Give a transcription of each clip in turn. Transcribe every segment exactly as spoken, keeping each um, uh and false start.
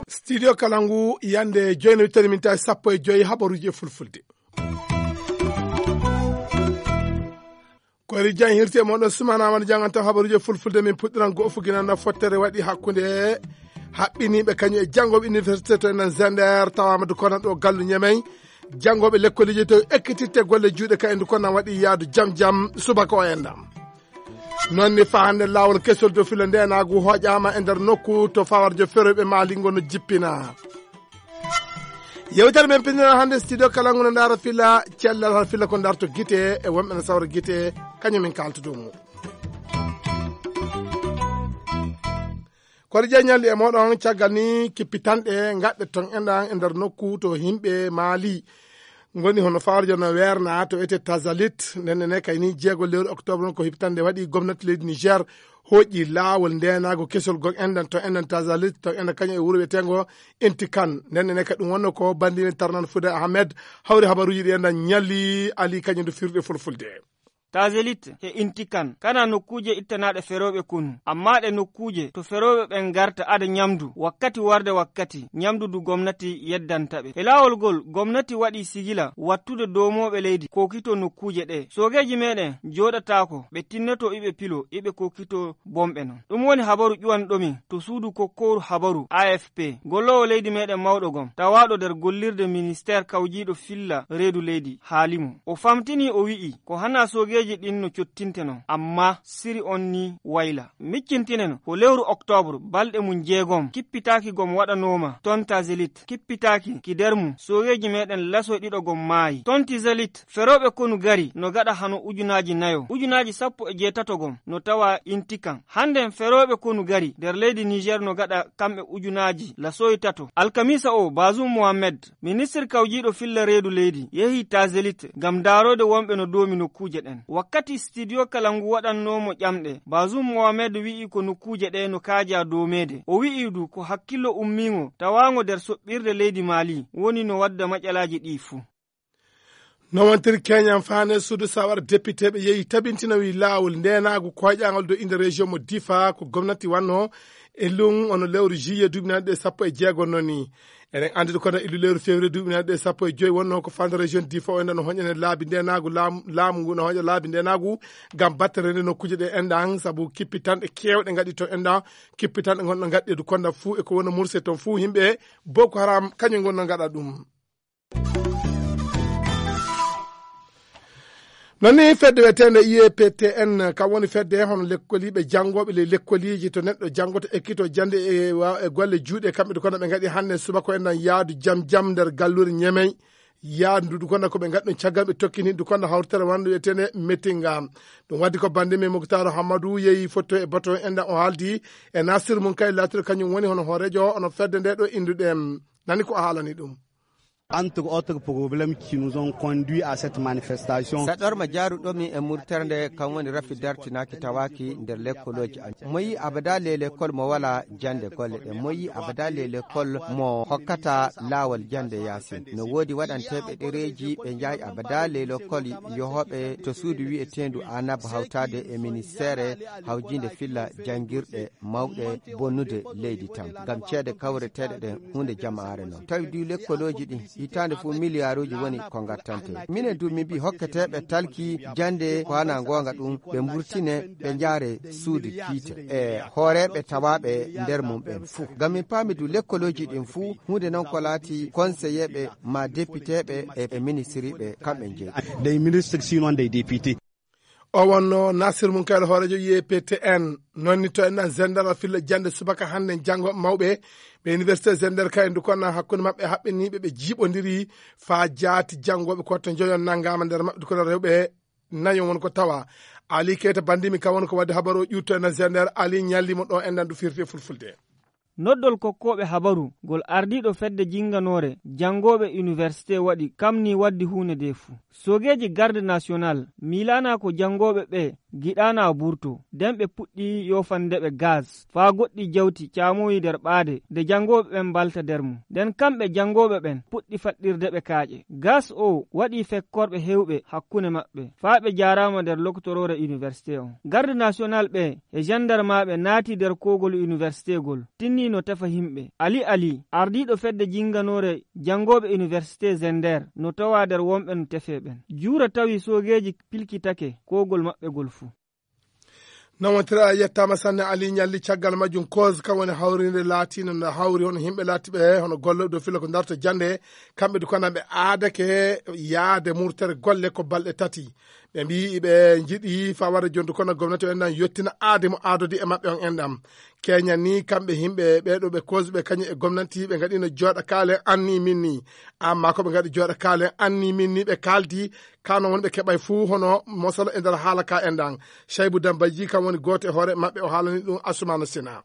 Studio Kalangu, yande joyno wittani min tawi sappo e joyi habaruji e fulfulde. Koyri jan hirti e moɗon sumana wano janganto habaruji e fulfulde, min puɗɗiran go'o fuginanda fottere waɗi hakkunde haɓɓiniɓe kañum e janngoɓe université to enen Zender tawama du kono ɗo gallu Ñemey. Janngoɓe lekkoliji to ekkititte golle juuɗe ka endu kono waɗi yaadu jam jam subaka o endam. Noon ni fa hannde laawol kesol dow filo ndeenaagu hooƴaama e nder nokku to fawarjo feroyɓe Mali ngo no jippina. Yewtere men pinndinal hannde studio kala ngo no ndaara fila cellal hal fila ko ndarto gite e wonɓe no sawra gite kañum min kaalto dow mum. Kono ƴeeñalɗi e moɗon caggal ni kippitanɗe gaɗɗe ton enɗan e nder nokku to yimɓe Mali ngoni hono fawarjo no weerna to ete Tazalit. Nden ne kay ni jeego lewru octobre on ko hippitande waɗi gomnati leydi Niger hoƴƴi laawol ndeenaago kesol gom enɗan to enɗan Tazalit to enɗan kañum e wuro wiyetengo Intikan. Nden ne kadi ɗum wonno ko bandine tarnan Fude Ahmed hawri habaruji ɗi enɗan ñalli Ali kañum du firde fulfulde. Tazelit he Intikan kana nokkuuje ittanaaɗe ferooɓe konu, amma ɗe nokkuuje to ferooɓe ɓen ngarta ada ñamdu wakkati warde wakkati, ñamdu du gomnati yeddanta ɓe. He laawol gol, gomnati waɗi sigila wattude doomooɓe leydi kokito nokkuuje ɗe. Soogeeji meɗen jooɗataako, ɓe tinnoto iɓe pilo, iɓe kokito bomɓe non. Ɗum woni habaru ƴuwanɗo min to suudu kokkooru habaru A F P. Golloowo leydi meɗen mawɗo gom, tawaaɗo nder gollirde ministeer kawjiiɗo filla reedu leydi, haali mo. O famtini, o wi'i, ko hana soogeeji ɗin no cottinte non, amma siri on ni wayla. Miccintinen, ko lewru oktoobre, balɗe mum jeegom, kippitaaki gom waɗanooma ton Tazelit, kippitaaki ki nder mum, soogeeji meɗen lasoy ɗiɗo gom maayi. Ton Tazelit, ferooɓe konu gari no gaɗa hano ujunaaji nayo, ujunaaji sappo e jeetato gom no tawa Intikan. Hannden ferooɓe konu gari nder leydi Niger no gaɗa kamɓe ujunaaji lasoy tato. Alkamiisa o, Bazoum Mohamed, ministir kawjiiɗo filla reedu leydi, yehi Tazelit ngam ndaaroyde wonɓe no doomi nokkuuje ɗen. Wakkati studio kala ngu waɗannoo mo ƴamɗe, Bazoum Mohamed wi'i ko nokkuuje ɗe no kaajaa doomeede. O wi'i du ko hakkillo ummiingo tawaango nder soɓɓirde leydi Mali woni no wadda maƴalaaji ɗi fuu. No wontiri keñan faane suudu sawar depiteeɓe yehi tabintina wi laawol ndeenaagu koyɗaangal do inde région mo Difa ko gomnati wanno e lun ono lewru juillet duuɓi naanɗe sappo e jeego noni. Eɗen anndi kono illu lewru février duuɓi naanɗe sappo e joyi wonno ko fanda région Difa o enɗan hoñene laabi ndeenaagu laamu, laamu ngu no hoña laabi ndeenaagu ngam battere nde nokkuuje ɗe enɗan sabu kippitanɗe keewɗe ngaɗi to enɗan kippitanɗe gonɗo ngaɗɗe du konda fuu e ko wona murse ton fuu yimɓe Boko Haram kañum ngonno ngaɗa ɗum. Non ni fedde wiyeteende U E P T N kam woni fedde hono lekkoliiɓe janngooɓe ley lekkoliiji to neɗɗo janngoto ekkito jannde e wa- e golle juuɗe kamɓe du kono ɓe ngaɗi hannde subaka ko enɗan yaadu jam jam nder gallure Ñemey. Yaadu ndu du kono ko ɓe ngaɗi ɗum caggal ɓe tokkini du kono hawritere wonde wiyeteende Metinga. Ɗum waddi ko bannde men Muktaru Hammadu yehi fotto e bato enɗan o haaldi e Nasir mum kay laatiro kañum woni hono hooreejo ono fedde nde ɗo innduɗen. Nani ko o haalani ɗum. Entre autres problèmes qui nous ont conduits à cette manifestation. Saɗorma jaaruɗomi e murtere nde kam woni rafi dartinaaki tawaaki nder lekkolooji amen. Mo yi abada ley lekkol mo wala jannde golle ɗe. Mo yi abada ley lekkol mo hokkata laawol jannde yaasin. No woodi waɗanteeɓe ɗereeji ɓe njahi abada ley lekkol yohooɓe to suudu wi'eteendu Anab hawtaade e ministeere hawjiinde filla janngirɗe mawɗe bonnude leydi tan, ngam ceede kawreteeɗe ɗen huunde jamaare non. Tawi du lekkolooji ɗin, hitaande fof miliyaaruuji woni ko ngattante. Minen du min mbii hokketeeɓe talki jannde ko hana ngoonga ɗum, ɓe mburtine, ɓe njaare suudu kiite e hooreeɓe tawaaɓe nder mum ɓen fuu. Ngam min paami du lekkolooji ɗin fuu, huunde non ko laati konseyeeɓe ma depiteeɓe e, e ministiriiɓe kamɓe njeyi. Des ministres sinon des députés. O wonno Nasir mum kayɗo hooreejo U E P T N. Noon ni to en ɗan Zender a filla jannde subaka hannde janngo mawɓe ɓe université Zender ka e ndu konna hakkunde maɓɓe haɓɓiniiɓe ɓe jiiɓondiri faa jaati janngooɓe ko to njoyon nanngaama nder maɓɓe ko rewɓe nayo won ko tawa. Ali Keita bandimi ka won ko wadde habaru o ƴuutto en Zender Ali ñalli mo ɗo en ɗan du firti e fulfulde. Noddol kokkooɓe habaru ngol ardiiɗo fedde jinnganoore janngooɓe université waɗi kam ni waddi huunde nde fuu. Soogeeji garde national miilaanaa ko janngooɓe ɓe Giɗaanaa burto, nden ɓe puɗɗi yoofande ɓe gaas, faa goɗɗi jawti caamoyi nder ɓaade, de janngooɓe ɓen mbalta nder mum. Nden kamɓe janngooɓe ɓen puɗɗi faɗɗirde ɓe kaaƴe. Gaas oo waɗi fekkorɓe heewɓe hakkunde maɓɓe, faa ɓe jaaraama nder lokotoroore iniwersitee on. Garde national ɓe e janndarmaaɓe naati nder koogol iniwersitee gol, tinni no tefa yimɓe. Ali Ali, ardiiɗo fedde jinnganoore janngooɓe iniwersitee Zender, no tawaa nder wonɓe no tefee ɓen. Juura tawi soogeeji pilkitake koogol maɓɓe gol fuu. Nawantira yettaama sanne Ali Ñalli, caggal majjum koos kam woni hawriinde laatiinde no hawri hono yimɓe laatiiɓe hono gollooɓe dow filla ko darta jannde, kamɓe du ko ɓe aadake yaade murtere golle ko balɗe tati. Ɓe mbiyi ɓe njiɗi fawade jonde kono gomnati o enɗan yottina aade mo aadodi e maɓɓe on enɗan. Keñan ni kamɓe yimɓe ɓeeɗo ɓe koos ɓe kañum e gomnati ɓe ngaɗino jooɗa kaalen anni min ni. Amma ko ɓe ngaɗi jooɗa kaalen anni min ni ɓe kaaldi kano woni ɓe keɓay fuu hono mosolo e nder haala ka enɗan. Shaybu Dambaji kam woni gooto e hoore maɓɓe o haalani ɗum Asumana Sina.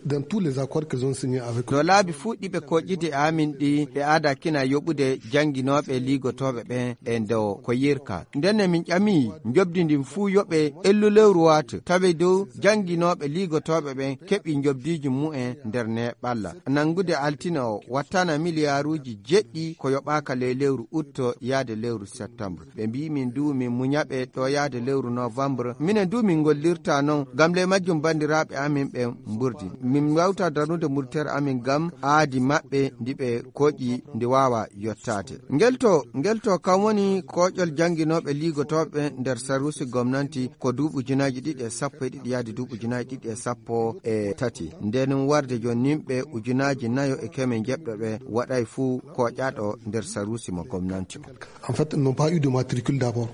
Dans tous les accords qu'ils ont signés avec no laabi fuu ɗi ɓe koƴƴidi e amin ɗi ɓe aada kina yoɓude jannginooɓe liigotooɓe ɓen e ndo ko yirka. Ndenne min ƴami njoɓdi ndin fuu yoɓe ellu lewru waata tawi dow jannginooɓe liigotooɓe ɓen keɓi njoɓdiiji mumen nder neeɓalla. Nanngude altine o wattana miliyaaruuji jeɗɗi ko yoɓaaka ley lewru utto yaade lewru septembre. Ɓe mbii min du min muñaɓe ɗo yaade lewru novembre. Minen du min ngollirta non ngam ley majjum banndiraaɓe amin ɓen mburdi. Min wawta darnude murtere amin ngam aadi maɓɓe ndi ɓe koƴi ndi waawa yottaade. Ngel to, ngel to kam woni koƴol jannginooɓe liigotooɓe nder saruusi gomnanti ko duuɓi ujunaaji ɗiɗi e sappo e ɗiɗi yaade duuɓi ujunaaji ɗiɗi e sappo e tati. Nden warde jon nimɓe ujunaaji nayo e keme njeɓɗo ɓe waɗay fuu koƴaaɗo nder saruusi mo gomnanti o. En fait, ils n'ont pas eu de matricule d'abord.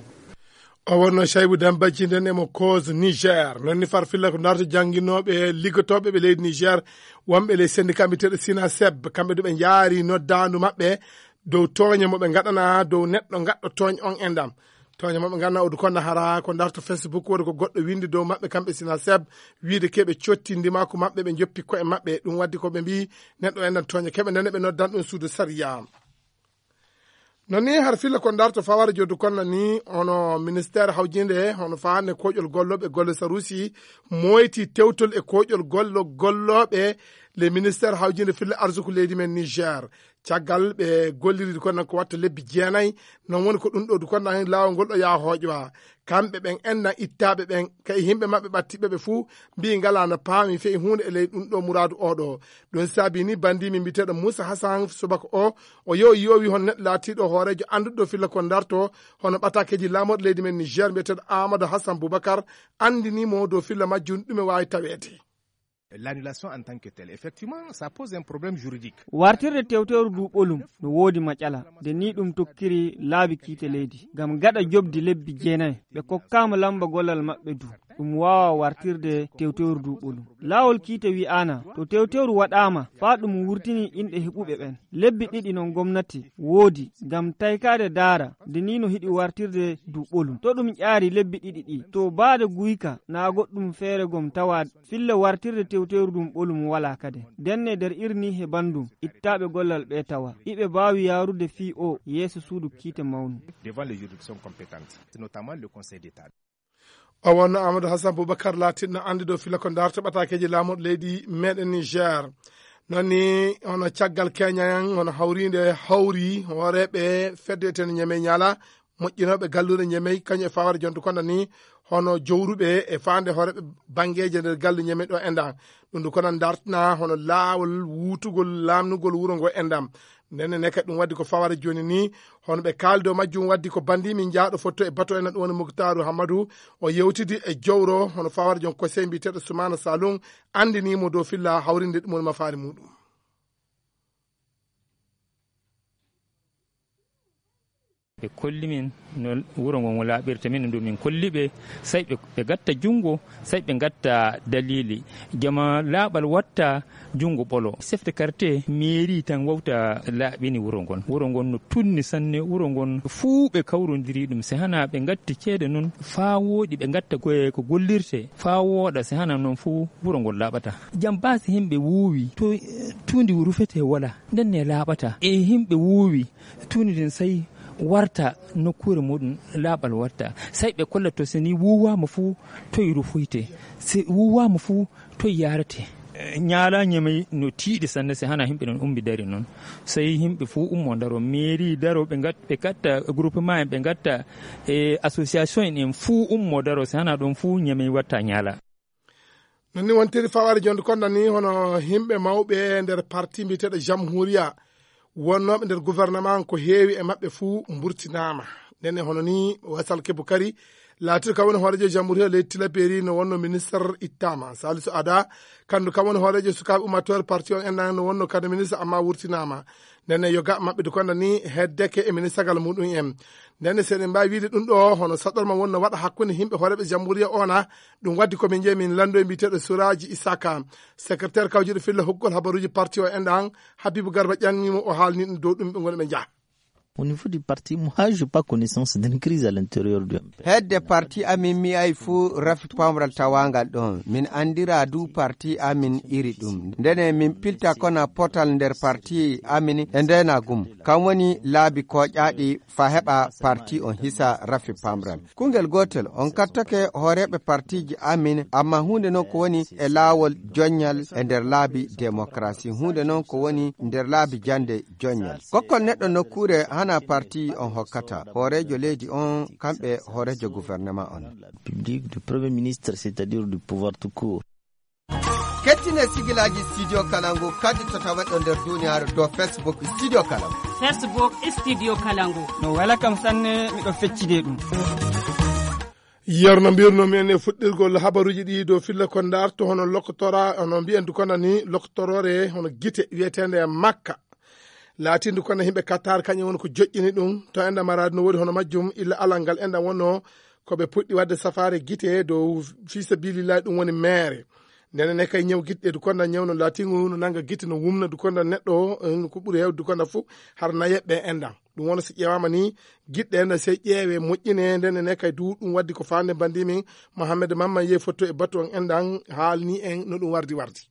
O wonno Shaybu Dambajji nden emo cause Niger. Non ni farfilla ko darta jannginooɓe liggotooɓe ɓe leydi Niger, wonɓe ley syndicat mbiyeteeɗo Sinaseb, kamɓe du ɓe njaari noddaandu maɓɓe dow tooñe mo ɓe ngaɗana dow neɗɗo gaɗɗo tooñ on e ndam. Tooñe mo ɓe ngaɗana o du konna hara ko darta Facebook woni ko goɗɗo winndi dow maɓɓe kamɓe Sinaseb, wiide ke ɓe cotti ndimaaku maɓɓe, ɓe njoppi ko'e maɓɓe. Ɗum waddi ko ɓe mbii neɗɗo e ndam tooñe keɓe ndene ɓe noddan ɗum suudu sariya. Non ni har filla ko darto faware joddu konna ni hono ministère hawjinde hono faande koƴol gollooɓe golle sarusi moyti tewtol e koƴol gollo gollooɓe le ministère hawjinde filla arsuku leydi men Niger. Caggal ɓe golliride kon ko watta lebbi jeenayi, non woni ko ɗum ɗo du kon laawol ngol ɗo yaa hooƴowa. Kamɓe ɓen enɗan ittaaɓe ɓen, kay yimɓe maɓɓe ɓattiɓe ɓe fuu mbii ngalaa no paami fey huunde e ley ɗum ɗo muraadu oo ɗo. Ɗum saabii ni banndii min mbiyeteeɗo Muusa Hasan Subaka o, o yehi o yoowi hono neɗɗo laatiiɗo hooreejo annduɗo filla ko darto hono ɓataakeeji laamorɗo leydi men Niger mbiyeteeɗo Amadou Hassan Boubacar, anndinii mo dow filla majjum ɗume waawi taweede. L'annulation en tant que telle, effectivement, ça pose un problème juridique. Wartirde tewteeru ndu ɓolum no woodi maƴala, nde nii ɗum tokkiri laabi kiite leydi. Ngam gaɗa joɓdi lebbi jeenayi, ɓe kokkaama lamba gollal maɓɓe du. Ɗum waawaa wartirde tewteeru ndu ɓolum. Laawol kiite wi'aana, to tewteeru waɗaama, faa ɗum wurtini inɗe heɓuɓe ɓen. Lebbi ɗiɗi non gomnati woodi, ngam taykaade daara, nde nii no hiɗi wartirde ndu ɓolum. To ɗum ƴaari lebbi ɗiɗi ɗi, to baade guyka, naa goɗɗum feere gom tawa filla wartirde tewteeru ndun ɓolum walaa kade. Ndenne nder irni he banndum, ittaaɓe gollal ɓe tawa. Iɓe mbaawi yaarude fii o yeeso suudu kiite mawnu. Devant les juridictions compétentes, notamment le Conseil d'État. O wonno Amadou Hassan Boubacar laatinno annduɗo filla ko darta ɓataakeeji laamorɗo leydi meɗen Niger. Non ni hono caggal keñayan hono hawriinde hawri hooreeɓe fedde etene Ñeme Ñaala, moƴƴinooɓe galluure Ñemey, kañum e faware jonto kono ni hono jowruɓe e faande hooreeɓe banngeeje nder galle Ñemey ɗo e ndam. Ɗum ndu kono dartina hono laawol wuutugol laamnugol wuro ngo e ndam. Ndenne ne kadi ɗum waddi ko faware jooni ni, hono ɓe kaaldo majjum waddi ko banndi min njaaɗo fotto e bato en ɗum woni Muktaaru Hammadu, o yewtidi e jowro hono faware joon kosey mbiyeteeɗo Sumaana Salum, anndinii mo dow filla hawrinde ɗum woni mafaari muɗum. Ɓe kolli min no wuro ngon laaɓirta, min ɗum min kolli ɓe, sey ɓe, ɓe gatta junngo, sey ɓe gatta daliili. Jama laaɓal watta junngo ɓolo. Chef de quartier, mairie tan wawta laaɓini wuro ngon. Wuro ngon no tunni sanne, wuro ngon fuu ɓe kawrondiri ɗum. Si hana ɓe gatti ceede non faa wooɗi, ɓe gatta ko, ko gollirte faa wooɗa, si hana non fuu wuro ngon laaɓata. Jam baasi himɓe wuuwi, to, tuundi rufete wala, nden ne laaɓata. E himɓe wuuwi, tuundi ndin sey Warta nokkuure muɗum laaɓal watta, sey ɓe kolla to, so ni wuuwaama fuu, toy rufoyte, so wuuwaama fuu, toy yaarete. Ñaala Ñamey no tiiɗi sanne, so hana yimɓe non ummi dari non, sey yimɓe fuu ummo daro, mairie daro, ɓe ngat-, ɓe katta groupement en, ɓe ngatta e association en, en fuu ummo daro, so hana ɗum fuu Ñamey watta ñaala. Non ni wontiri fawaade jonde konda ni, hono yimɓe mawɓe nder parti mbiyeteeɗo Jamhuriya, wonnooɓe nder gouvernement, ko heewi e maɓɓe fuu mburtinaama. Ndenne hono ni Wasal Kebukari, laatiiɗo kam woni hooreejo Jamhuriya leydi Tilaberi, no wonno ministre ittaama. Salisu Ada, kandu kam woni hooreejo sukaaɓe ummaatoore parti on enɗan, no wonno kadi ministre, amma wurtinaama. Ndenne yoga maɓɓe du konda ni heddeke e ministagal muɗum en. Ndenne seɗen mbaawi wiide ɗum ɗo hono saɗorma wonno waɗa hakkunde yimɓe hooreeɓe Jamhuriya ona. Ɗum waddi ko min jeeyi min lanndo e mbiyeteeɗo Suraaji Isaka, secrétaire kawjuɗo filla hokkugol habaruuji parti o enɗan, Habibu Garba ƴannimo, o haalni ɗum dow ɗum ɓe ngoni ɓe njaha. Au niveau du parti, moi, je n'ai pas connaissance d'une crise à l'intérieur du M P. Hedde parti amin mi ay fuu rafi pamral tawaangal ɗon. Min anndira du parti amin iri ɗum. Ndene min pilta kona potal nder parti amin e ndena gum. Kam woni laabi koƴaaɗi fa heɓa parti on hisa rafi pamral. Kungel gootel, on kattake hooreeɓe partiiji amin, amma huunde non ko woni e laawol joññal e nder laabi demokrasi. Huunde non ko woni nder laabi jannde joññal. Kokkol neɗɗo nokkuure hana parti on hokkata. Hooreejo leydi on, kamɓe hooreejo gouvernement on. Public du premier ministre, c'est-à-dire du pouvoir tout court. Kettine sigilaaji Studio Kalangu, kadi to taweɗo nder duniyaaru dow Facebook Studio Kalangu. Facebook Studio Kalangu. No wela kam sanne, miɗo feccide ɗum. Yer no mbirnomi en e fuɗɗirgol habaruuji ɗi dow filla ko ndarto hono lokotora, hono mbiyen du kono ni lokotoroore hono gite wiyeteende e Makka. Laatindu kono yimɓe Qatar kañum woni ko joƴƴini ɗum. To enɗam araade no woodi hono majjum illa alal ngal enɗam wonno ko ɓe puɗɗi waɗde safaare gite dow fii sabilillahi, ɗum woni meere. Ndene ne kay ñaw gite ɗe du kono ñaw no laatingu no nanga gite no wumna du kono neɗɗo, eh, ko ɓuri heewde du kono fof har nayeɓɓe enɗam. Ɗum wona si ƴeewaama ni, giɗɗe ene sey ƴeewe moƴƴine, nden ene kay du ɗum waddi ko faande banndi min Mohamed Mamman Yey fotto e batu on enɗan haalni en no ɗum wardi wardi.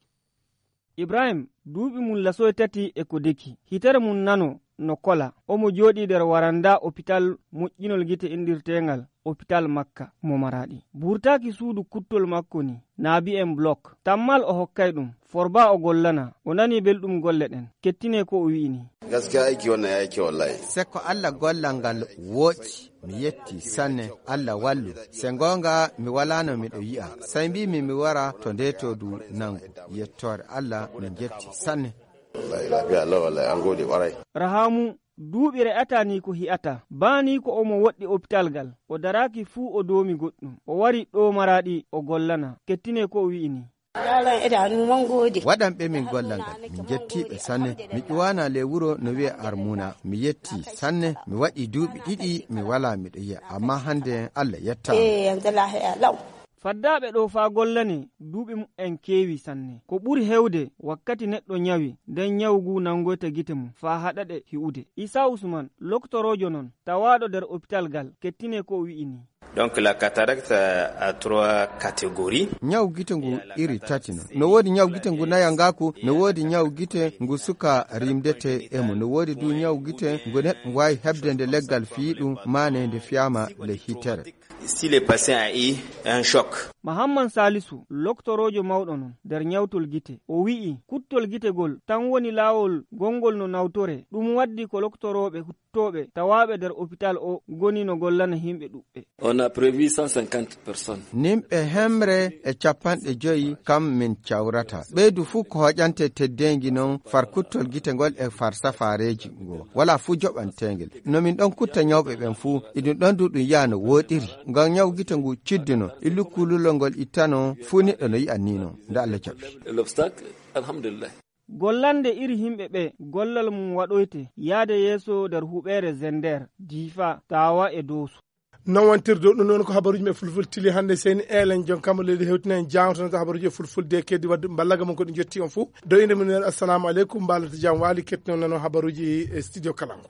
Ibrahim, duuɓi mum lasoy tati e ko deki. Hitere mum nano no kola. Omo jooɗii nder waranda opital moƴƴinol gite inndirteengal Opital Makka mo Maraɗi. Burtaaki suudu kuttol makko ni, naabi en blok. Tammal o hokkay ɗum. Forba o gollana. O nani belɗum golle ɗen. Kettine ko o wi'i ni. Gaskiya aiki wannan ya yi kyau wallahi. Sekko Allah gollal ngal woɗɗi. Mi yetti sanne, Allah wallu. Se goonga, mi walaano miɗo yi'a. Sai mbimi mi wara to nde to du nangu. Yettoore Allah, min jetti sanne. Wallahi lafiya lau wallahi, an gode kwarai. Rahamu, duuɓi re'ata ni ko hi'ata. Baa ni ko omo woɗɗi opital gal. O daraaki fuu o doomi goɗɗum. O wari ɗo Maraɗi o gollana. Kettine ko o wi'i ni. Yaran idanu mun gode. Waɗan ɓe min gollal ngal, min jetti ɓe sanne. Mi ƴuwana le wuro no wi'e Armuna. Mi yetti sanne, mi waɗi duuɓi ɗiɗi, mi wala miɗo yi'a. Amma hande Allah yetta. Eh, yanzu lahiya lau. Faddaaɓe ɗo faa gollane, duuɓi mu'en keewi sanne. Ko ɓuri heewde, wakkati neɗɗo ñawi, nden ñawu ngu nangoyta gite mum faa haɗa ɗe hi'ude. Isa Usman, loktoroojo non, tawaaɗo nder opital gal, kettine ko o wi'i ni. Donc, la cataracte a trois catégories. Ñaw gite ngu iri tati non. No woodi ñaw gite ngu nayangaaku, no woodi ñaw gite ngu suka rimdete e mum, no woodi du ñaw gite ngu neɗɗo waawi heɓde nde leggal fiyi ɗum, maane nde fiyaama le hitere. Si le patient a eu un choc. Mahamman Salisu, loktoroojo mawɗo non nder ñawtol gite, o wi'i kuttol gite gol tan woni laawol gongol no nawtore, ɗum waddi ko loktorooɓe tooɓe tawaaɓe nder opital o ngoni no gollana yimɓe ɗuɓɓe. On a prévu cent cinquante personnes. Nimɓe hemre e capanɗe joyi kam min cawrata. Ɓeydu fuu ko hoƴante teddeengi non far kuttol gite ngol e far safaareeji ngo. Wala fuu joɓanteengel. No min ɗon kutta ñawɓe ɓen fuu, iɗum ɗon du ɗum yaa no wooɗiri. Ngam ñaw gite ngu cidduno, e lukkululol ngol ittano, fuu neɗɗo no yi'a ni non. Nde Allah jaɓi. L'obstacle, alhamdulillah. Gollande iri yimɓe ɓe gollal mum waɗoyte yaade yeeso nder huɓeere Zender, Difa, Tawa e Dooso. Non wontirde ɗum noon ko habaruuji men fulfulde tili hannde. Seyni Eelen, joom kammo leydi hewtina en jaawto ko habaruuji e fulfulde keddi wadde mballaga mum ko ɗi njotti on fof. Do inde mum en, assalamu aleykum, mbalata jam waali, kettinon nano habaruuji e studio Kalangu.